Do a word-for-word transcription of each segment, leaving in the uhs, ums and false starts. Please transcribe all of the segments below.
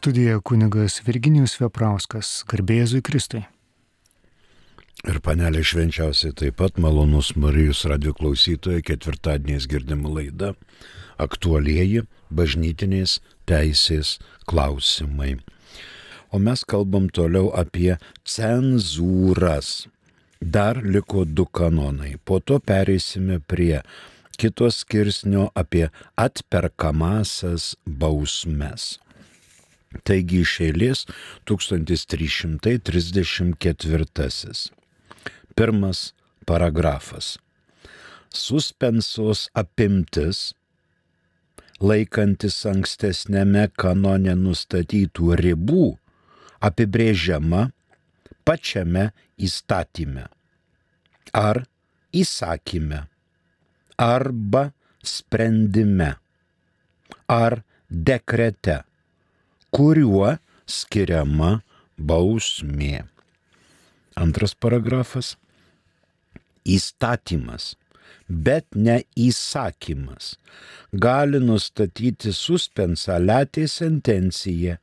Studijoje kunigas Virginijus Veprauskas, garbė Jėzui Kristui. Ir panelė švenčiausiai taip pat malonus Marijos radio klausytojai, ketvirtadieniais girdima laida aktualieji bažnytinės teisės klausimai. O mes kalbam toliau apie cenzūras. Dar liko du kanonai. Po to pereisime prie kito skirsnio apie atperkamasias bausmes. Taigi iš eilės tūkstantis trys šimtai trisdešimt ketvirtasis. Pirmas paragrafas. Suspensos apimtis, laikantis ankstesnėme kanone nustatytų ribų, apibrėžiama pačiame įstatyme ar įsakyme arba sprendime ar dekrete, kuriuo skiriama bausmė. Antras paragrafas. Įstatymas, bet ne įsakymas, gali nustatyti suspensą latė sentenciją,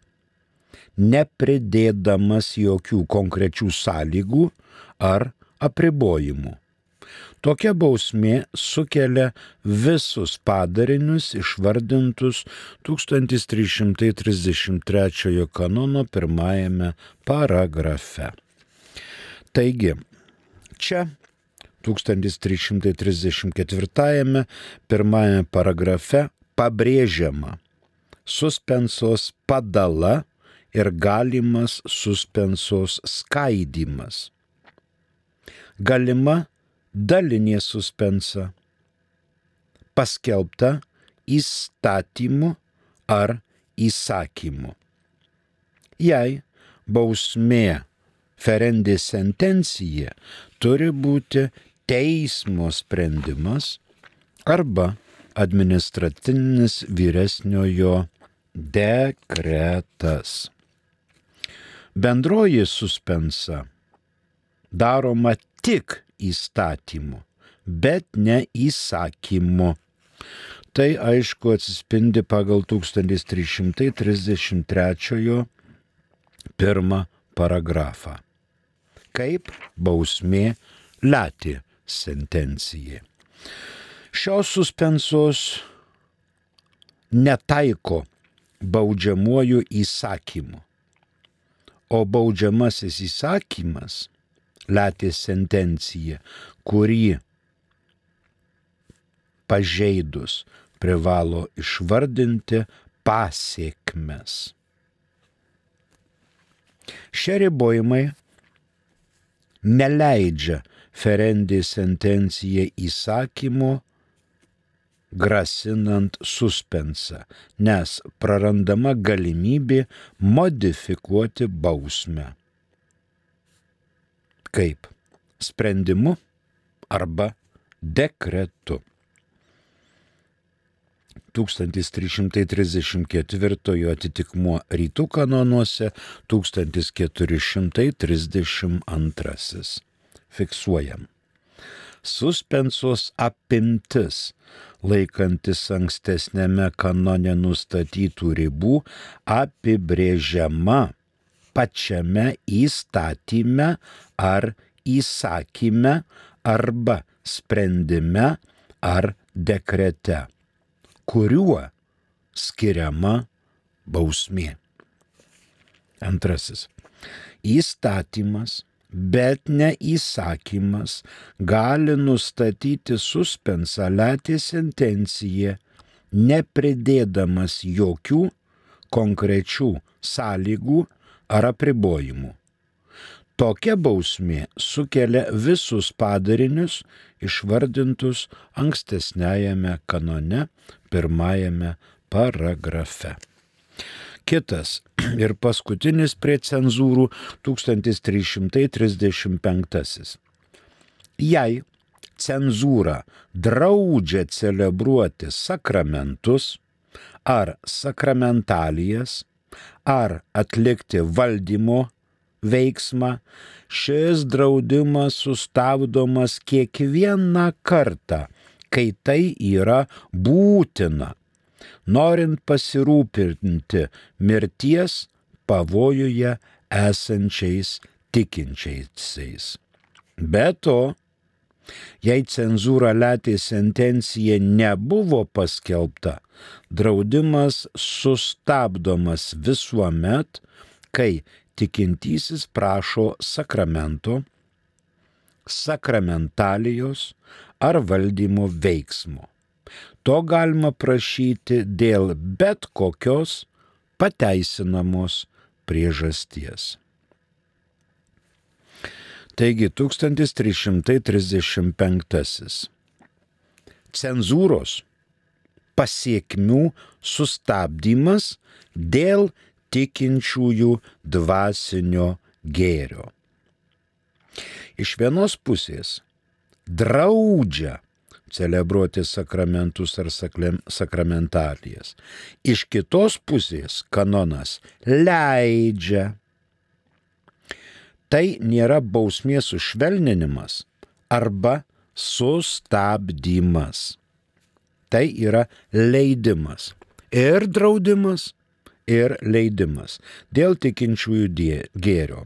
nepridėdamas jokių konkrečių sąlygų ar apribojimų. Tokia bausmė sukelia visus padarinius išvardintus tūkstantis trys šimtai trisdešimt trečiojo kanono pirmajame paragrafe. Taigi, čia tūkstantis trys šimtai trisdešimt ketvirtajame pirmajame paragrafe pabrėžiama suspensos padala ir galimas suspensos skaidymas. Galima dalinė suspensa, paskelbta įstatymu ar įsakymu. Jei bausmė ferendė sentencija turi būti teismo sprendimas arba administracinis vyresniojo dekretas. Bendroji suspensa daroma tik įstatymu, bet ne įsakymu. Tai aišku atsispindi pagal tūkstantis trys šimtai trisdešimt trečiojo pirmą paragrafą. Kaip bausmė latė sentencija. Šios suspensos netaiko baudžiamuoju įsakymu, o baudžiamasis įsakymas latė sentencija, kurį pažeidus privalo išvardinti pasekmes. Šie ribojimai neleidžia ferendė sentencija įsakymu grasinant suspensą, nes prarandama galimybė modifikuoti bausmę. Kaip sprendimu arba dekretu. tūkstantis trys šimtai trisdešimt ketvirtojo atitikmuo rytų kanonuose, tūkstantis keturi šimtai trisdešimt antrasis. Fiksuojam. Suspensos apimtis, laikantis ankstesnėme kanone nustatytų ribų, apibrėžiama pačiame įstatyme ar įsakyme arba sprendime ar dekrete, kuriuo skiriama bausmė. Antrasis. Įstatymas, bet ne įsakymas, gali nustatyti suspensą latė sentenciją, nepridėdamas jokių konkrečių sąlygų ar apribojimų. Tokia bausmė sukelia visus padarinius išvardintus ankstesniajame kanone pirmajame paragrafe. Kitas ir paskutinis prie cenzūrų tūkstantis trys šimtai trisdešimt penktasis. Jei cenzūra draudžia celebruoti sakramentus ar sakramentalijas ar atlikti valdymo veiksmą, šis draudimas sustabdomas kiekvieną kartą, kai tai yra būtina norint pasirūpinti mirties pavojuje esančiais tikinčiaisiais. Be to, jei cenzūra letė sentencija nebuvo paskelbta, draudimas sustabdomas visuomet, kai tikintysis prašo sakramento, sakramentalijos ar valdymo veiksmo. To galima prašyti dėl bet kokios pateisinamos priežasties. Taigi tūkstantis trys šimtai trisdešimt penktasis. Cenzūros pasiekmių sustabdymas dėl tikinčiųjų dvasinio gėrio. Iš vienos pusės draudžia celebruoti sakramentus ar sakramentalijas. Iš kitos pusės kanonas leidžia. Tai nėra bausmės sušvelninimas arba sustabdymas. Tai yra leidimas. Ir draudimas, ir leidimas dėl tikinčiųjų gėrio.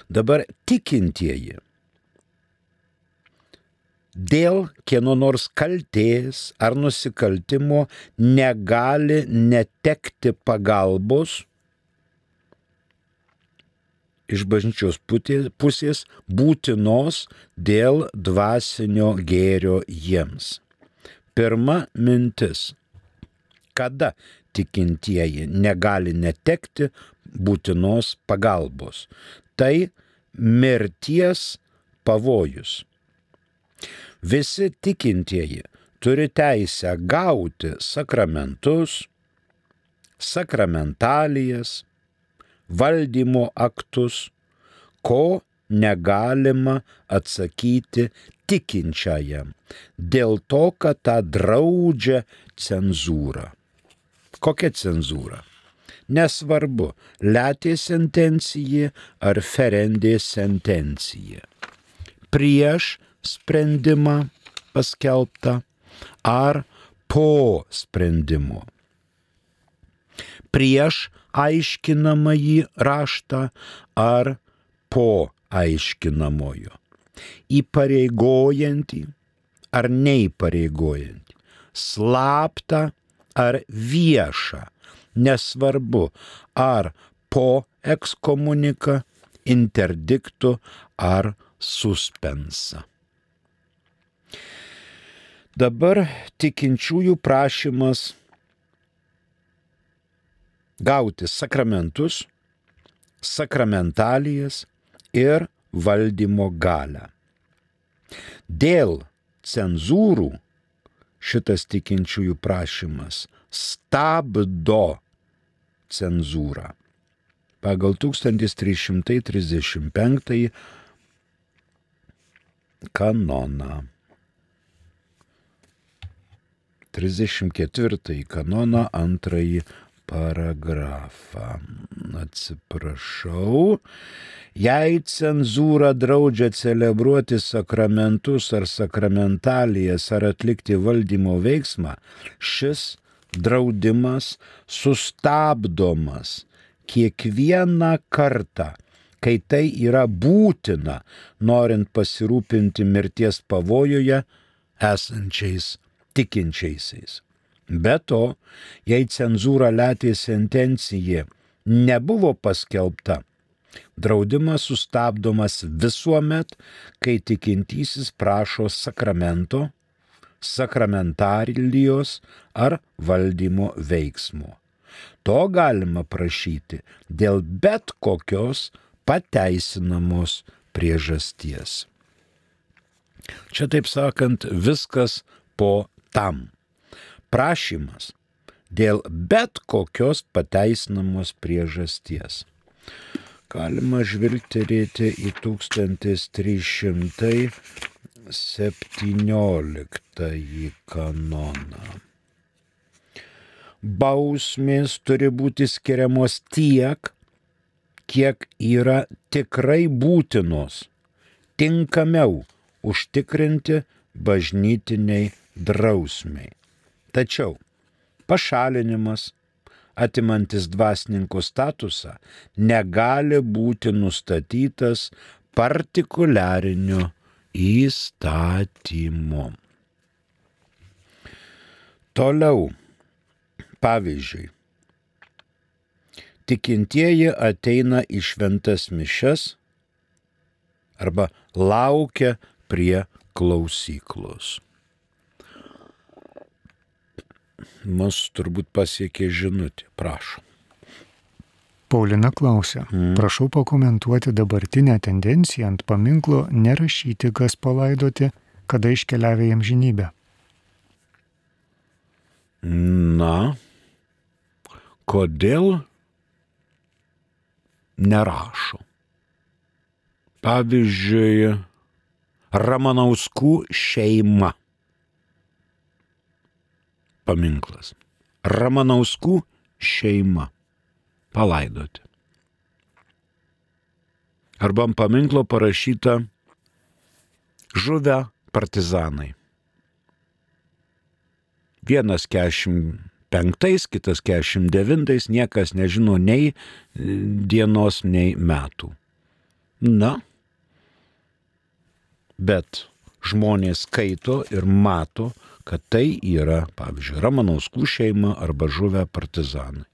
Dabar tikintieji dėl kieno nors kaltės ar nusikaltimo negali netekti pagalbos iš bažnyčios pusės būtinos dėl dvasinio gėrio jiems. Pirma mintis. Kada tikintieji negali netekti būtinos pagalbos? Tai mirties pavojus. Visi tikintieji turi teisę gauti sakramentus, sakramentalijas, valdymo aktus, ko negalima atsakyti tikinčiajam, dėl to, kad tą draudžia cenzūra. Kokia cenzūra? Nesvarbu, letė sentencija ar ferendė sentencija. Prieš sprendimą paskelbtą ar po sprendimo. Prieš aiškinamąjį raštą ar po aiškinamojo. Įpareigojantį ar neįpareigojantį. Slaptą ar viešą. Nesvarbu, ar po ekskomuniką, interdiktų ar suspensą. Dabar tikinčiųjų prašymas gauti sakramentus, sakramentalijas ir valdymo galią. Dėl cenzūrų šitas tikinčiųjų prašymas stabdo cenzūrą. Pagal tūkstantis trys šimtai trisdešimt penktąjį kanoną. trisdešimt ketvirtąjį kanoną antrąjį paragrafą. Atsiprašau. Jei cenzūra draudžia celebruoti sakramentus ar sakramentalijas ar atlikti valdymo veiksmą, šis draudimas sustabdomas kiekvieną kartą, kai tai yra būtina, norint pasirūpinti mirties pavojuje esančiais tikinčiaisiais. Be to, jei cenzūra letė sentencija nebuvo paskelbta, draudimas sustabdomas visuomet, kai tikintysis prašo sakramento, sakramentalijos ar valdymo veiksmo. To galima prašyti dėl bet kokios pateisinamos priežasties. Čia, taip sakant, viskas po tam. Prašymas dėl bet kokios pateisinamos priežasties. Galima žvilgterėti į tūkstantis trys šimtai septynioliktąjį kanoną. Bausmės turi būti skiriamos tiek, kiek yra tikrai būtinos, tinkamiau užtikrinti bažnytiniai drausmiai. Tačiau pašalinimas, atimantis dvasininko statusą, negali būti nustatytas partikuliariniu įstatymu. Toliau, pavyzdžiui, tikintieji ateina į šventas mišias arba laukia prie klausyklos. Mus turbūt pasiekė žinutė, prašom. Paulina klausia, mm. prašau pakomentuoti dabartinę tendenciją ant paminklo nerašyti, kas palaidoti, kada iškeliavę į amžinybę. Na, kodėl nerašo? Pavyzdžiui, Ramanauskų šeima. Paminklas. Ramanauskų šeima. Palaidoti. Arba ant paminklo parašyta žuvę partizanai. Vienas keturiasdešimt penktais, kitas keturiasdešimt devintais, niekas nežino nei dienos, nei metų. Na, bet žmonės skaito ir mato, kad tai yra, pavyzdžiui, Ramanauskų šeima arba žuvę partizanai.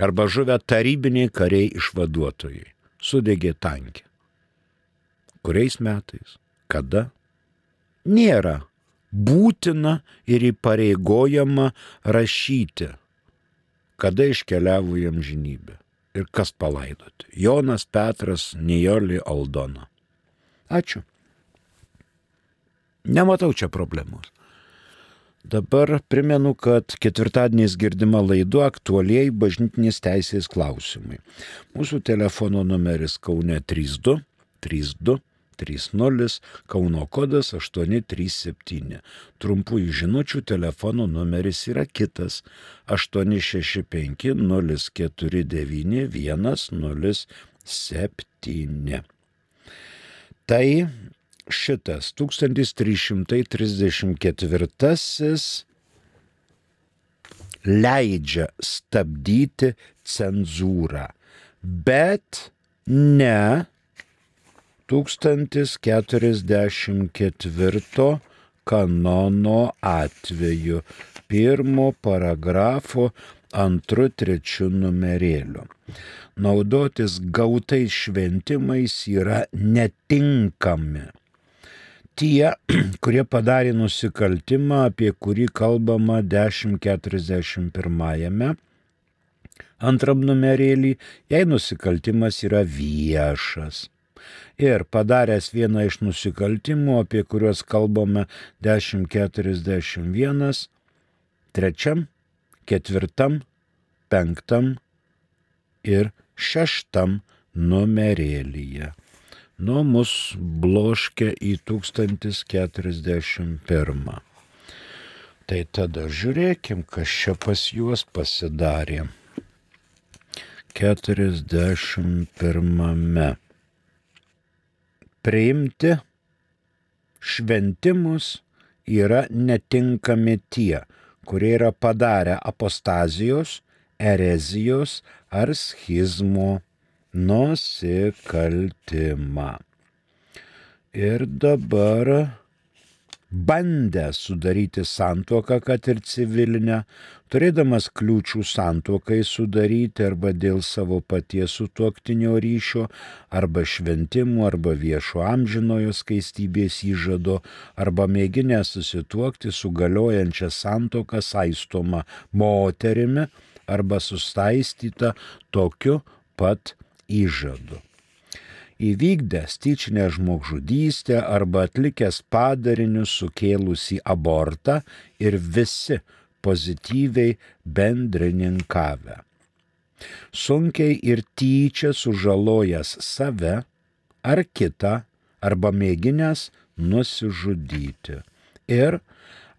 Arba žuvę tarybiniai kariai išvaduotojai. Sudegė tankė. Kuriais metais? Kada? Nėra būtina ir įpareigojama rašyti, kada iškeliavo į amžinybę ir kas palaidoti. Jonas, Petras, Nijolė, Aldona. Ačiū. Nematau čia problemos. Dabar primenu, kad ketvirtadieniais girdima laida aktualieji bažnytinės teisės klausimai. Mūsų telefono numeris Kaune trys du trys du trys nulis, Kauno kodas aštuoni trys septyni. Trumpųjų žinučių telefono numeris yra kitas aštuoni šeši penki nulis keturi devyni vienas nulis septyni. Tai šitas tūkstantis trys šimtai trisdešimt ketvirtasis leidžia stabdyti cenzūrą, bet ne tūkstantis keturiasdešimt ketvirto kanono atveju, pirmo paragrafo antru trečiu numerėliu. Naudotis gautais šventimais yra netinkami tie, kurie padarė nusikaltimą, apie kurį kalbama dešimt keturiasdešimt pirmajame antram numerėlį, jei nusikaltimas yra viešas. Ir padaręs vieną iš nusikaltimų, apie kuriuos kalbame dešimt keturiasdešimt vienas, trečiam, ketvirtam, penktam ir šeštam numerėlyje. Nu, mus bloškia į tūkstantis keturiasdešimt pirmą. Tai tada žiūrėkim, kas čia pas juos pasidarė. keturiasdešimt pirmame. Priimti šventimus yra netinkami tie, kurie yra padarę apostazijos, erezijos ar schizmo nusikaltimą. Ir dabar bandę sudaryti santuoką, kad ir civilinę, turėdamas kliūčių santuokai sudaryti arba dėl savo paties sutuoktinio ryšio, arba šventimų, arba viešo amžinojo skaistybės įžado, arba mėginę susituokti su galiojančia santuoka saistoma moterimi, arba sustaistyta tokiu pat įžadu. Įvykdęs tyčinę žmogžudystę arba atlikęs padarinius sukėlusį abortą ir visi pozityviai bendrininkavę. Sunkiai ir tyčia sužalojęs save ar kitą arba mėginęs nusižudyti. Ir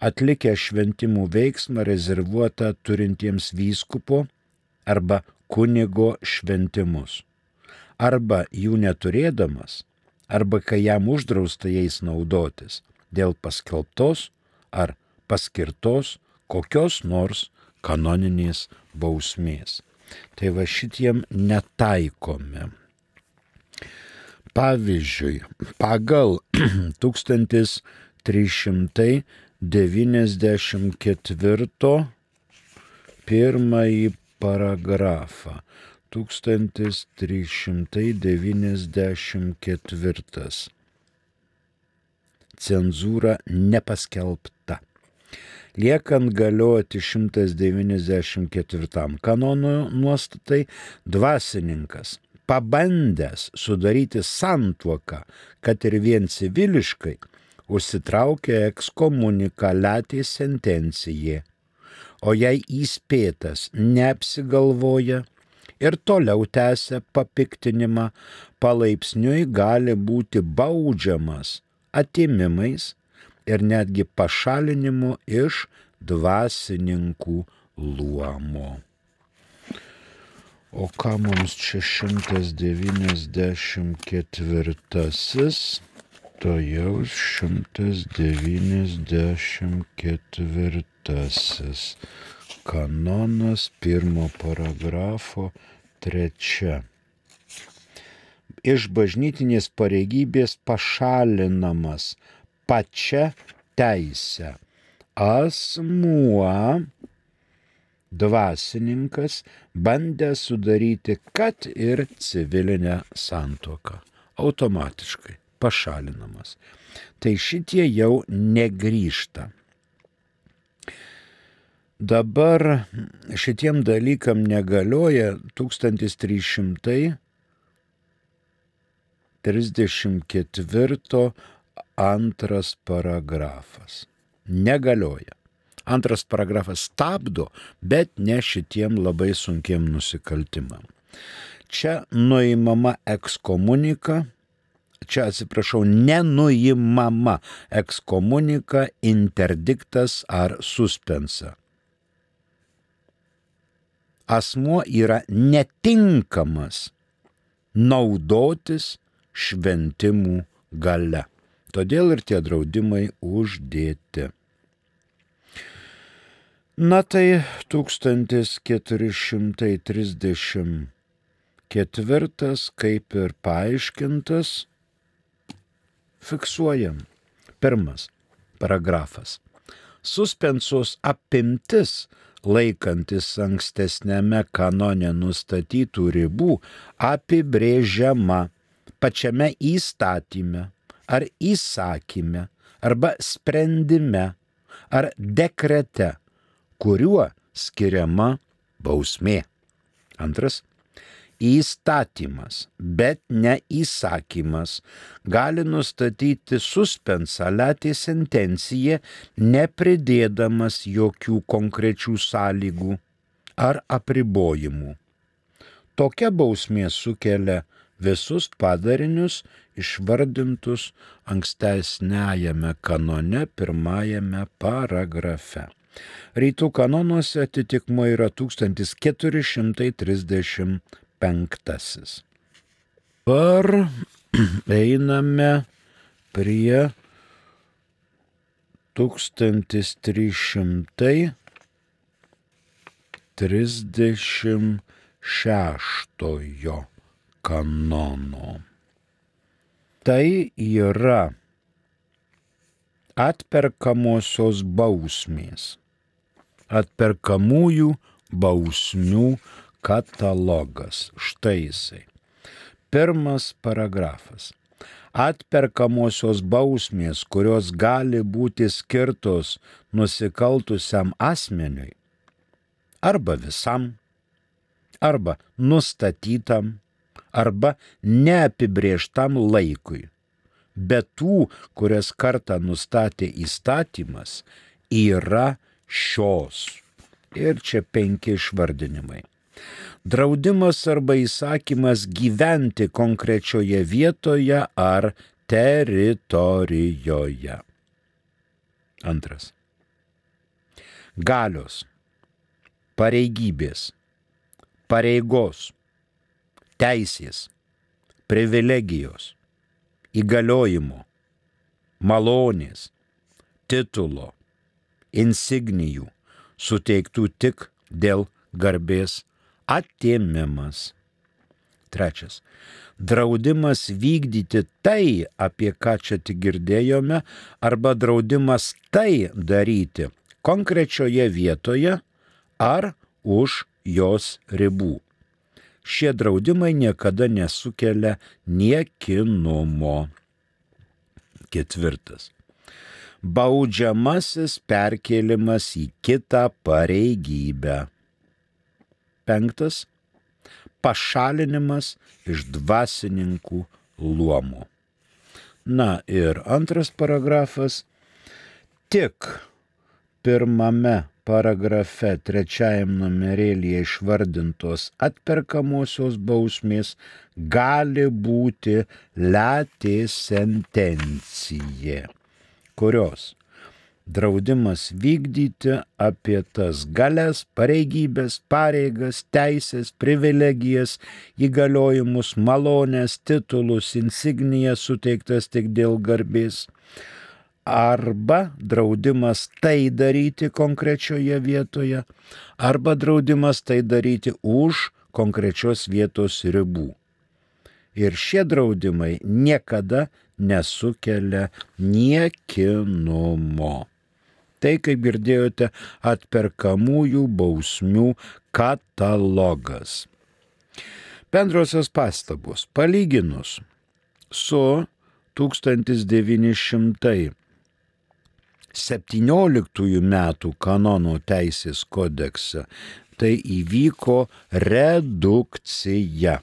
atlikę šventimų veiksmą rezervuotą turintiems vyskupo arba kunigo šventimus. Arba jų neturėdamas, arba kai jam uždrausta jais naudotis dėl paskelbtos ar paskirtos kokios nors kanoninės bausmės. Tai va šitiem netaikome. Pavyzdžiui, pagal tūkstantis trys šimtai devyniasdešimt ketvirto pirmąjį paragrafą. tūkstantis trys šimtai devyniasdešimt ketvirtas. Cenzūra nepaskelbta. Liekant galioti šimtas devyniasdešimt ketvirtam kanono nuostatai, dvasininkas, pabandęs sudaryti santuoką, kad ir vien civiliškai, užsitraukia ekskomunikaliatė sentencijė, o jei įspėtas neapsigalvoja ir toliau tęsia papiktinimą, palaipsniui gali būti baudžiamas atėmimais ir netgi pašalinimu iš dvasininkų luomo. O ką mums čia šimtas devyniasdešimt ketvirtasis? To jau šimtas devyniasdešimt ketvirtasis. Kanonas pirmo paragrafo trečia. Iš bažnytinės pareigybės pašalinamas pačia teise asmuo, dvasininkas, bandęs sudaryti kad ir civilinę santuoką. Automatiškai pašalinamas. Tai šitie jau negrįžta. Dabar šitiem dalykam negalioja tūkstantis trys šimtai trisdešimt ketvirto antras paragrafas. Negalioja. Antras paragrafas stabdo, bet ne šitiem labai sunkiem nusikaltimam. Čia nuimama ekskomunika, čia atsiprašau, nenuimama ekskomunika, interdiktas ar suspensa. Asmuo yra netinkamas naudotis šventimų galia. Todėl ir tie draudimai uždėti. Na tai tūkstantis keturi šimtai trisdešimt ketvirtas, kaip ir paaiškintas, fiksuojam. Pirmas paragrafas. Suspensos apimtis, laikantis ankstesniame kanone nustatytų ribų, apibrėžiama pačiame įstatyme ar įsakyme arba sprendime ar dekrete, kuriuo skiriama bausmė. Antras. Įstatymas, bet ne įsakymas, gali nustatyti suspensaliatė sentenciją, nepridėdamas jokių konkrečių sąlygų ar apribojimų. Tokia bausmė sukelia visus padarinius išvardintus ankstesniajame kanone pirmajame paragrafe. Rytų kanonuose atitikmuo yra tūkstantis keturi šimtai trisdešimt penktasis. Dabar einame prie tūkstantis trys šimtai trisdešimt šeštojo kanono. Tai yra atperkamosios bausmės, atperkamųjų bausmių katalogas. Štai jisai. Pirmas paragrafas. Atperkamosios bausmės, kurios gali būti skirtos nusikaltusiam asmeniui, arba visam, arba nustatytam, arba neapibrėžtam laikui. Bet tų, kurias kartą nustatė įstatymas, yra šios. Ir čia penki išvardinimai. Draudimas arba įsakymas gyventi konkrečioje vietoje ar teritorijoje. Antras. Galios, pareigybės, pareigos, teisės, privilegijos, įgaliojimo, malonės, titulo, insignijų, suteiktų tik dėl garbės atėmimas. Trečias. Draudimas vykdyti tai, apie ką čia tik girdėjome, arba draudimas tai daryti konkrečioje vietoje ar už jos ribų. Šie draudimai niekada nesukelia niekinumo. Ketvirtas. Baudžiamasis perkėlimas į kitą pareigybę. Penktas. Pašalinimas iš dvasininkų luomų. Na ir antras paragrafas. Tik pirmame paragrafe trečiajam numerėlyje išvardintos atperkamosios bausmės gali būti letė sentencija, kurios draudimas vykdyti apie tas galias, pareigybės, pareigas, teisės, privilegijas, įgaliojimus, malonės, titulus, insignijas suteiktas tik dėl garbės, arba draudimas tai daryti konkrečioje vietoje, arba draudimas tai daryti už konkrečios vietos ribų. Ir šie draudimai niekada nesukelia niekinumo. Tai, kaip girdėjote, atperkamųjų bausmių katalogas. Bendrosios pastabos. Palyginus su tūkstantis devyni šimtai septynioliktųjų metų kanono teisės kodekse, tai įvyko redukcija.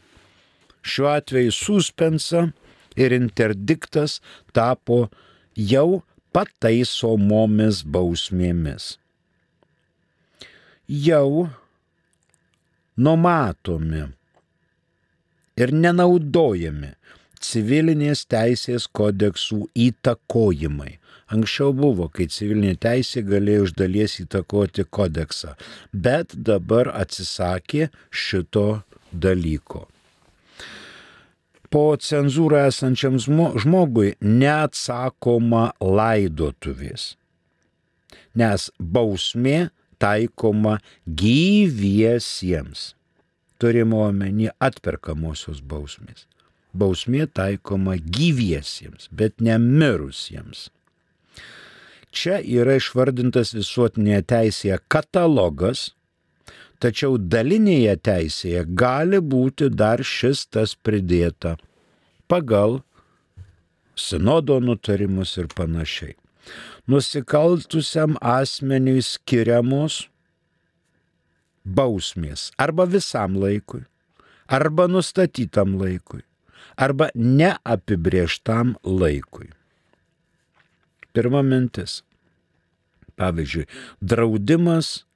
Šiuo atveju suspensa ir interdiktas tapo jau pataisomomis bausmėmis. Jau numatomi ir nenaudojami civilinės teisės kodeksų įtakojimai. Anksčiau buvo, kai civilinė teisė galėjo iš dalies įtakoti kodeksą, bet dabar atsisakė šito dalyko. Po cenzūrą esančiam žmogui neatsakoma laidotuvės, nes bausmė taikoma gyviesiems. Turime omeny atperkamosios bausmės. Bausmė taikoma gyviesiems, bet ne mirusiems. Čia yra išvardintas visuotinėje teisėje katalogas, tačiau dalinėje teisėje gali būti dar šis tas pridėta pagal sinodo nutarimus ir panašiai. Nusikaltusiam asmeniui skiriamos bausmės arba visam laikui, arba nustatytam laikui, arba neapibrėžtam laikui. Pirma mintis. Pavyzdžiui, draudimas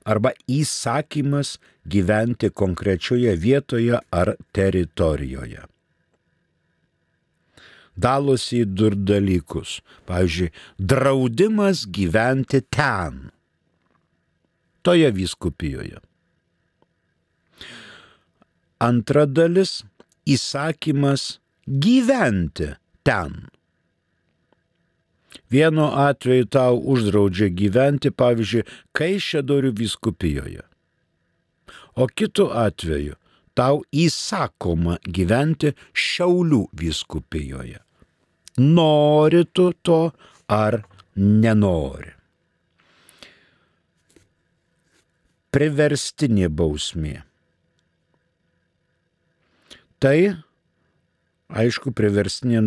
arba įsakymas gyventi konkrečioje vietoje ar teritorijoje. Dalosi į du dalykus. Pavyzdžiui, draudimas gyventi ten, toje vyskupijoje. Antra dalis – įsakymas gyventi ten. Vienu atveju tau uždraudžia gyventi, pavyzdžiui, Kaišiadorių vyskupijoje. O kitu atveju tau įsakoma gyventi Šiaulių vyskupijoje. Nori tu to ar nenori. Priverstinė bausmė. Tai aišku, priverstinė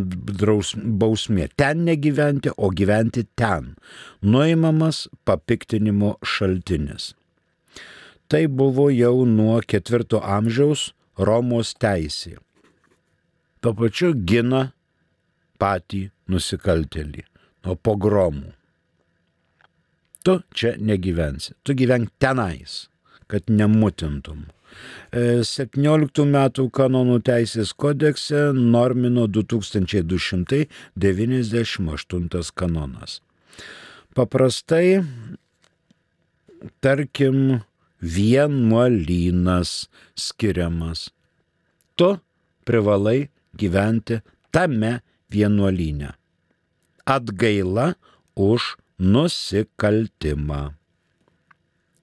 bausmė. Ten negyventi, o gyventi ten. Nuimamas papiktinimo šaltinis. Tai buvo jau nuo ketvirto amžiaus Romos teisė. Tuo pačiu gina patį nusikaltėlį nuo pogromų. Tu čia negyvensi. Tu gyvenk tenais, kad nemutintum. septynioliktų metų kanonų teisės kodekse normino du tūkstančiai du šimtai devyniasdešimt aštuntas kanonas. Paprastai, tarkim, vienuolynas skiriamas. Tu privalai gyventi tame vienuolyne. Atgaila už nusikaltimą.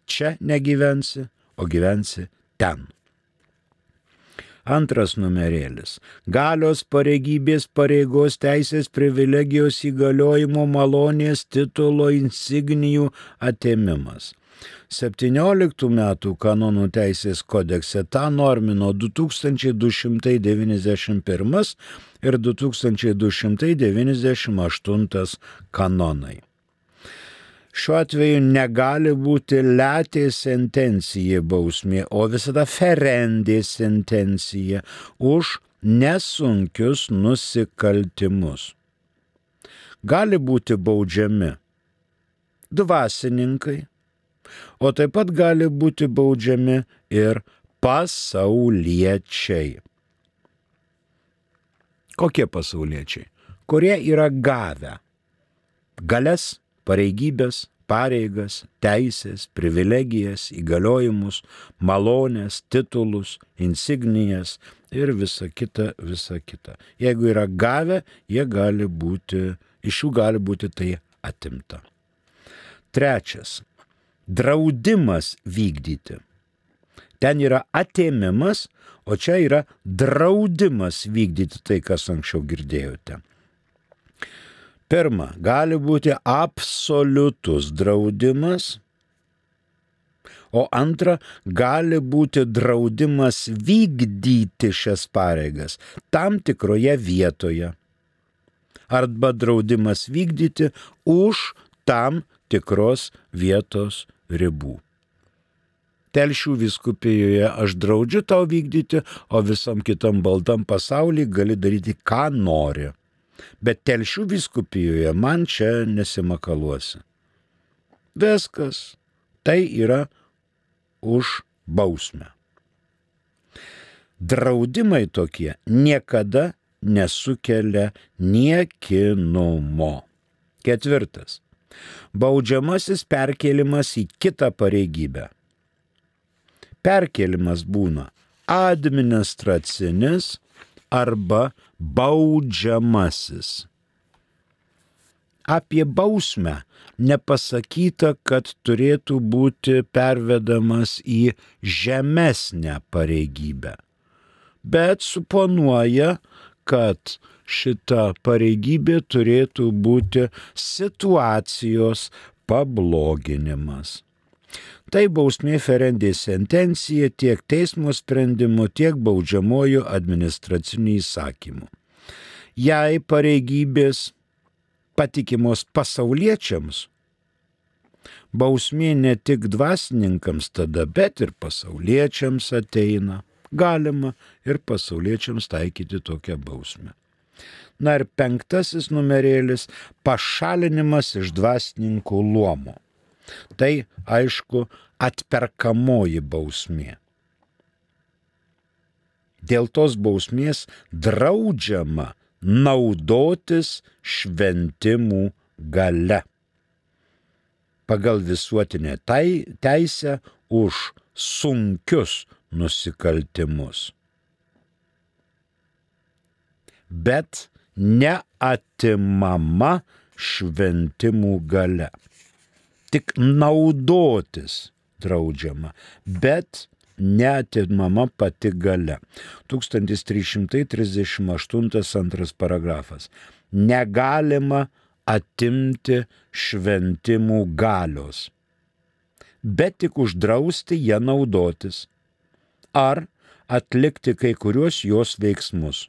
Čia negyvensi, o gyvensi ten. Antras numerėlis. Galios, pareigybės, pareigos, teisės, privilegijos, įgaliojimo, malonės, titulo, insignijų atėmimas. septynioliktų metų kanonų teisės kodekse tą normino du tūkstančiai du šimtai devyniasdešimt pirmas ir du tūkstančiai du šimtai devyniasdešimt aštuntas kanonai. Šiuo atveju negali būti letė sentencija bausmė, o visada ferendė sentencija už nesunkius nusikaltimus. Gali būti baudžiami dvasininkai, o taip pat gali būti baudžiami ir pasauliečiai. Kokie pasauliečiai? Kurie yra gavę galias, pareigybės, pareigas, teisės, privilegijas, įgaliojimus, malonės, titulus, insignijas ir visa kita, visa kita. Jeigu yra gavę, jie gali būti, iš jų gali būti tai atimta. Trečias. Draudimas vykdyti. Ten yra atėmimas, o čia yra draudimas vykdyti tai, kas anksčiau girdėjote. Pirma, gali būti absoliutus draudimas, o antra, gali būti draudimas vykdyti šias pareigas tam tikroje vietoje, arba draudimas vykdyti už tam tikros vietos ribų. Telšių vyskupijoje aš draudžiu tau vykdyti, o visam kitam baltam pasaulyje gali daryti, ką nori. Bet Telšių vyskupijoje man čia nesimakaluosi. Viskas. Tai yra už bausmę. Draudimai tokie niekada nesukelia niekinumo. Ketvirtas. Baudžiamasis perkėlimas į kitą pareigybę. Perkėlimas būna administracinis arba baudžiamasis. Apie bausmę nepasakyta, kad turėtų būti pervedamas į žemesnę pareigybę, bet suponuoja, kad šita pareigybė turėtų būti situacijos pabloginimas. Tai bausmė ferendė sentencija tiek teismo sprendimu, tiek baudžiamojo administraciniu įsakymu. Jei pareigybės patikimos pasauliečiams, bausmė ne tik dvasininkams tada, bet ir pasauliečiams ateina. Galima ir pasauliečiams taikyti tokią bausmę. Na ir penktasis numerėlis – pašalinimas iš dvasininkų luomo. Tai, aišku, atperkamoji bausmė. Dėl tos bausmės draudžiama naudotis šventimų galia. Pagal visuotinę teisę už sunkius nusikaltimus. Bet neatimama šventimų galia. Tik naudotis draudžiama, bet neatimama pati galia. tūkstantis trys šimtai trisdešimt aštuntas antras paragrafas. Negalima atimti šventimų galios, bet tik uždrausti ją naudotis ar atlikti kai kuriuos jos veiksmus.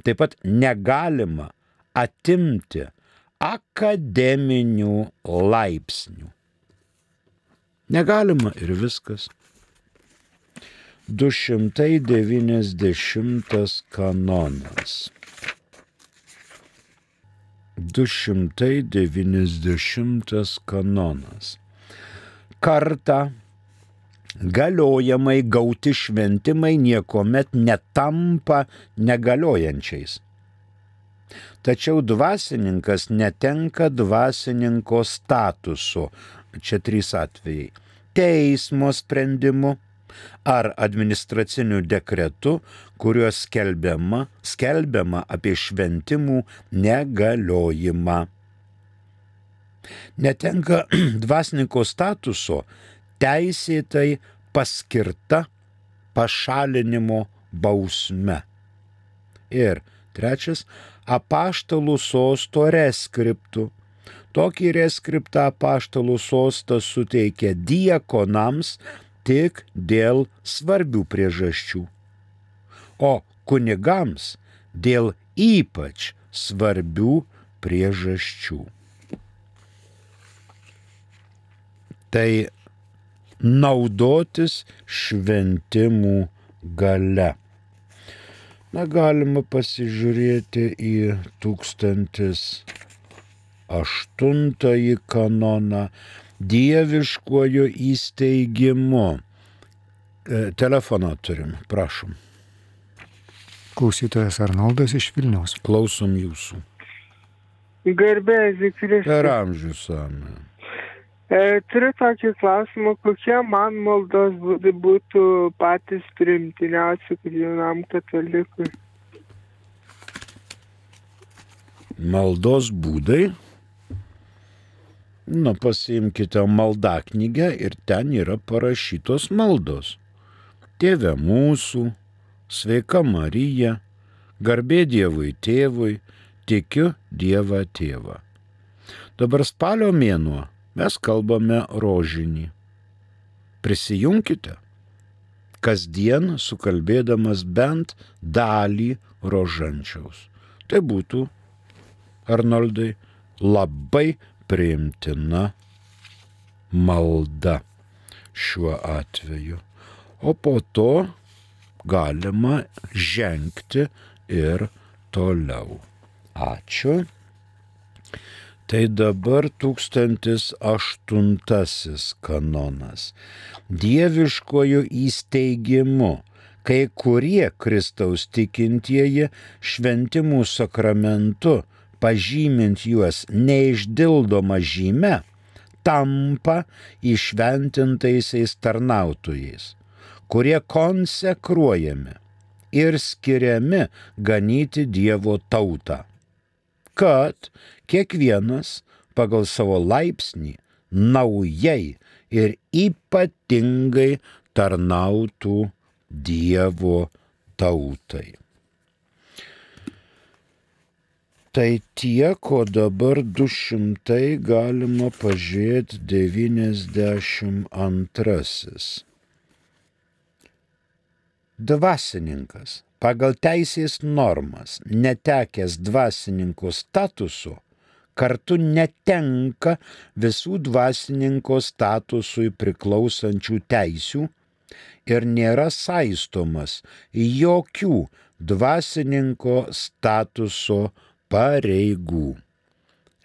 Taip pat negalima atimti akademinių laipsnių. Negalima ir viskas. du šimtai devyniasdešimtas kanonas. du šimtai devyniasdešimtas kanonas. Kartą galiojamai gauti šventimai niekuomet netampa negaliojančiais. Tačiau dvasininkas netenka dvasininko statuso. Čia trys atvejai. Teismo sprendimu ar administraciniu dekretu, kuriuo skelbiama, skelbiama apie šventimų negaliojimą. Netenka dvasininko statuso teisėtai paskirta pašalinimo bausme. Ir trečias, apaštalų sosto reskriptų. Tokį reskriptą apaštalų sostas suteikia diakonams tik dėl svarbių priežasčių, o kunigams dėl ypač svarbių priežasčių. Tai naudotis šventimų galia. Na, galima pasižiūrėti į tūkstantis aštuntąjį kanoną dieviškuoju įsteigimu. E, telefoną turim, prašom. Klausytojas Arnoldas iš Vilniaus. Klausom jūsų. Garbė Zikristai. Per amžius amen. E, turiu tokį klausimą, kokie man maldos būdai būtų patys priimtiniausi jaunam katalikui? Maldos būdai? Nu, pasiimkite maldaknygę ir ten yra parašytos maldos. Tėve mūsų, sveika Marija, garbė Dievui tėvui, tikiu Dievą tėvą. Dabar spalio mėnuo mes kalbame rožinį. Prisijunkite, kasdien sukalbėdamas bent dalį rožančiaus. Tai būtų, Arnoldai, labai priimtina malda šiuo atveju. O po to galima žengti ir toliau. Ačiū. Tai dabar tūkstantis aštuntasis kanonas. Dieviškojo įsteigimu, kai kurie Kristaus tikintieji šventimų sakramentu, pažymint juos neišdildoma žyme, tampa įšventintaisiais tarnautojais, kurie konsekruojami ir skiriami ganyti Dievo tautą, kad kiekvienas pagal savo laipsnį naujai ir ypatingai tarnautų Dievo tautai. Tai tiek, o dabar du šimtai galima pažiūrėti devyniasdešimt antrasis. Dvasininkas pagal teisės normas, netekęs dvasininko statuso, kartu netenka visų dvasininko statusui priklausančių teisių ir nėra saistomas jokių dvasininko statuso pareigų,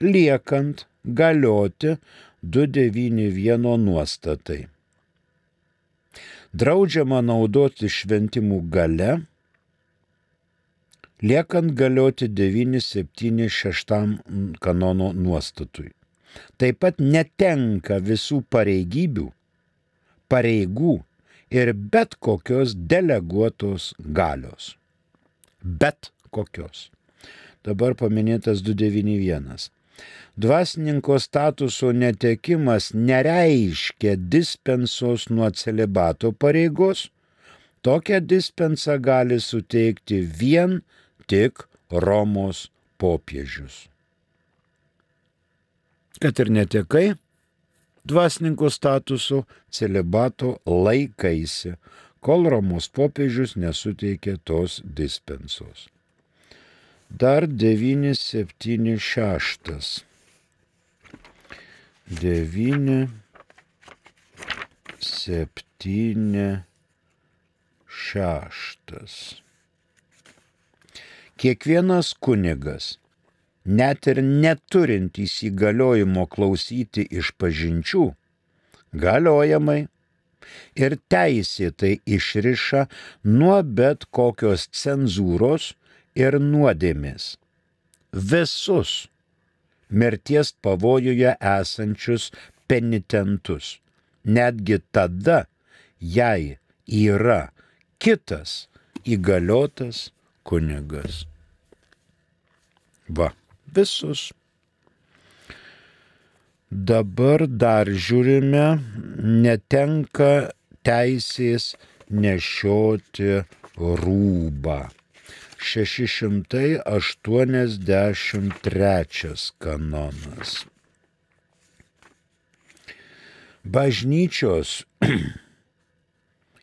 liekant galioti du devyni vieno nuostatai. Draudžiama naudoti šventimų galia, liekant galioti devyni septyni šeštam kanono nuostatui. Taip pat netenka visų pareigybių, pareigų ir bet kokios deleguotos galios. Bet kokios. Dabar paminėtas du devyni vienas. Dvasininko statuso netekimas nereiškia dispensos nuo celibato pareigos. Tokią dispensą gali suteikti vien tik Romos popiežius. Kad ir netekai dvasininko statuso, celibato laikaisi, kol Romos popiežius nesuteikė tos dispensos. Dar devyni septyni šeštas. devyni septyni šeštas. Kiekvienas kunigas, net ir neturintys įgaliojimo klausyti išpažinčių, galiojamai ir teisėtai išriša nuo bet kokios cenzūros ir nuodėmės visus mirties pavojuje esančius penitentus, netgi tada, jei yra kitas įgaliotas kunigas. Va, visus. Dabar dar žiūrime, netenka teisės nešioti rūbą. šeši šimtai aštuoniasdešimt trečias kanonas. Bažnyčios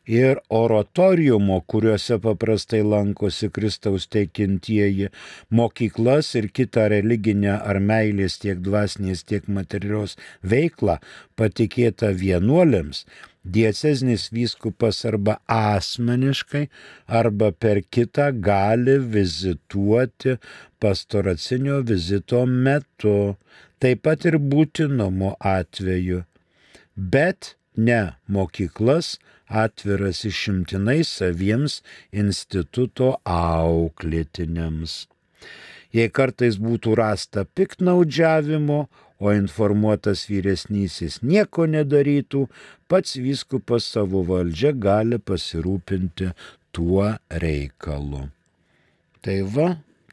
ir oratoriumo, kuriuose paprastai lankosi Kristaus teikintieji, mokyklas ir kitą religinę ar meilės tiek dvasinės, tiek materialios veiklą patikėta vienuoliams, dieceznis vyskupas arba asmeniškai, arba per kitą gali vizituoti pastoracinio vizito metu, taip pat ir būtinumo atveju, bet ne mokyklas atviras išimtinai saviems instituto auklėtiniams. Jei kartais būtų rasta piktnaudžiavimo, o informuotas vyresnysis nieko nedarytų, pats vyskupas savo valdžia gali pasirūpinti tuo reikalu. Tai va,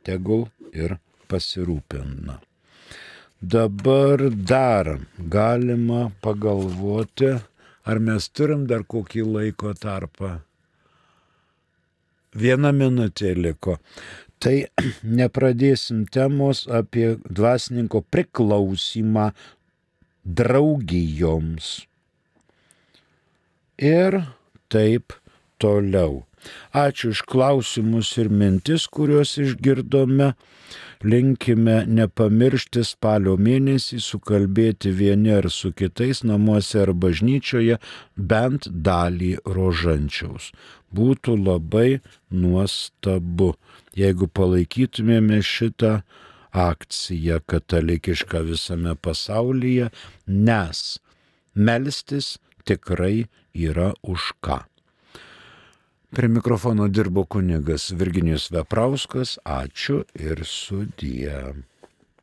tegul ir pasirūpina. Dabar dar galima pagalvoti, ar mes turim dar kokį laiko tarpą. Viena minutė liko. Tai nepradėsim temos apie dvasininko priklausimą draugijoms. Ir taip toliau. Ačiū už klausimus ir mintis, kuriuos išgirdome. Linkime nepamiršti spalio mėnesį sukalbėti vieni ar su kitais namuose ar bažnyčioje bent dalį rožančiaus. Būtų labai nuostabu, jeigu palaikytumėme šitą akciją katalikišką visame pasaulyje, nes melstis tikrai yra už ką. Prie mikrofono dirbo kunigas Virginijus Veprauskas. Ačiū ir sudie.